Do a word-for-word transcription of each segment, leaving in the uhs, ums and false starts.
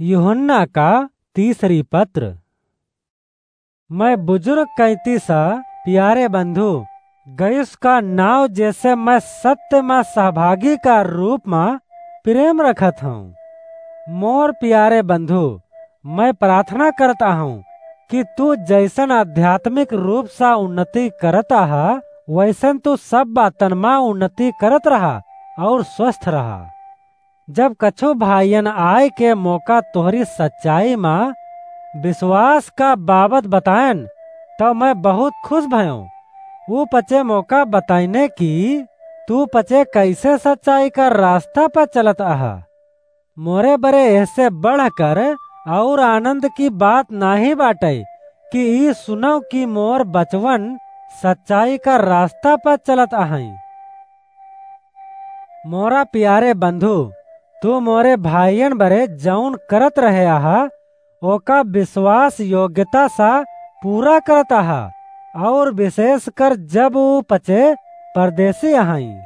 यूहन्ना का तीसरी पत्र। मैं बुजुर्ग कैंती सा, प्यारे बंधु, गयुस का नाव जेसे मैं सत्य मा सहभागी का रूप मा प्रेम रखत हूँ। मोर प्यारे बंधु, मैं प्रार्थना करत आहूँ कि तू जैसन आध्यात्मिक रूप सा उन्नति करत आहा, वैसन तू सब बातन मा उन्नति करत रहा और स्वस्थ रहा। जब कछु भाइयन आय के मोका तोहरी सच्चाई मा विश्वास का बाबत बतायन, तब मैं बहुत खुश भयों। ऊ पचे मोका बताइने कि तू पचे कैसे सच्चाई का रास्ता पर चलत आहा। मोरे बरे एहसे बढ़कर और आनंद की बात नाही बाटै कि ई सुनौ कि मोर बचवन सच्चाई का रास्ता पर चलत आहैं। मोरा प्यारे बंधु, तू मोरे भाइयन बरे जौन करत रहे आहा, ओका विश्वास योग्यता सा पूरा करत आहा, और विशेष कर जब ऊ पचे परदेसी अहईं।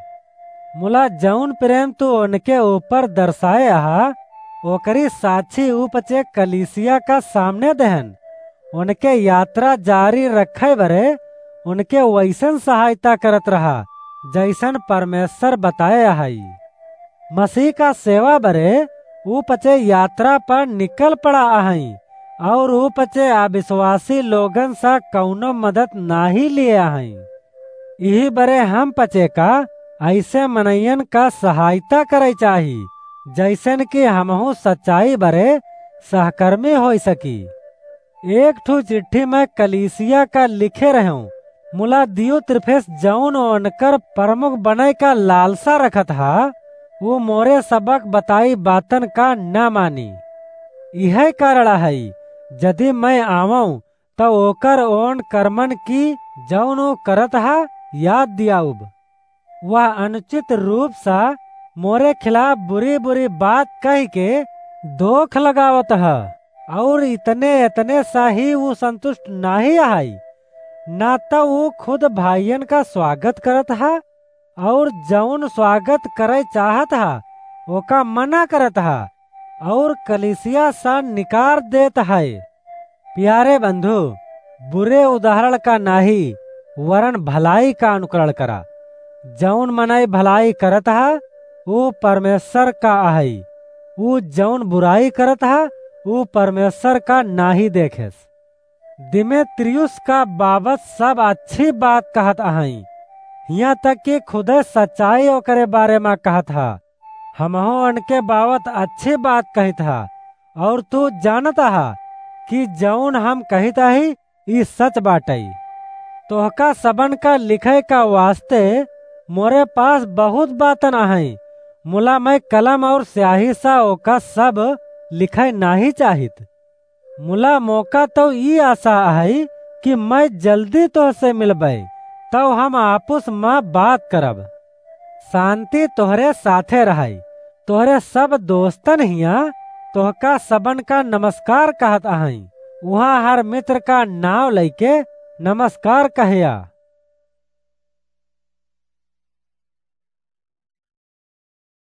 मुला जौन प्रेम तू उनके ऊपर दर्शाए आहा, ओकरी साक्षी ऊ पचे कलीसिया का सामने देहन। उनके यात्रा जारी रखे बरे उनके वैसन सहायता करत रहा, जैसन परमेश्वर बताए अहई। मसीह का सेवा बरे ऊ पचे यात्रा पर निकल पड़ा अहई, और ऊ पचे अविश्वासी लोगन सा कौनो मदद नाही लिए अहई। इही बरे हम पचे का ऐसे मनैयन का सहायता करे चाही, जैसन कि हमहू सच्चाई बरे सहकर्मी होई सकी। एक ठो चिट्ठी मैं कलीसिया का लिखे रहूं, मुला दियुत्रिफेस जौन ओनकर प्रमुख बने का लालसा रखत हा, वो मोरे सबक बताई बातन का न मानी। यह कारण है, यदि मैं आवऊं, त ओकर ओन कर्मन की जौन वो करत हा, याद दियाउब। वह अनुचित रूप सा मोरे खिलाफ बुरी-बुरी बात कह के दोख लगावत ह, और इतने, इतने सा ही वो संतुष्ट नाही अहई, ना त वो खुद भाइयन का स्वागत करत ह, और जौन स्वागत करे चाहत ह, ओका मना करत ह, और कलीसिया सा निकार देत है। प्यारे बंधु, बुरे उदाहरण का नाही, वरन भलाई का अनुकरण करा। जौन मनई भलाई करत हा, ऊ परमेश्वर का अहई। ऊ जौन बुराई करत हा, ऊ परमेश्वर का नाही देखेस। दिमेत्रियुस का बाबत सब अच्छी बात कहत अहई, हियां तक कि खुदे सच्चाई ओकरे बारे मा कहत हा। हमहू उनके बाबत अच्छी बात कहित हा, और तू जानत हा कि जौन हम कहित अही, ई सच बाटई। तोहका सबन का लिखे का वास्ते मोरे पास बहुत बातन अहई, मुला मैं कलम और स्याही सा ओका सब लिखे नाही चाहित। मुला मोका तो ई आशा अहई कि मैं जल्दी तोहसे मिलबे, तब हम आपुस मा बात करब। शांति तोहरे साथे रहई। तोहरे सब दोस्तन हियां तोहका सबन का नमस्कार कहत अहई। उहाँ हर मित्र का नाव लइके नमस्कार कहया।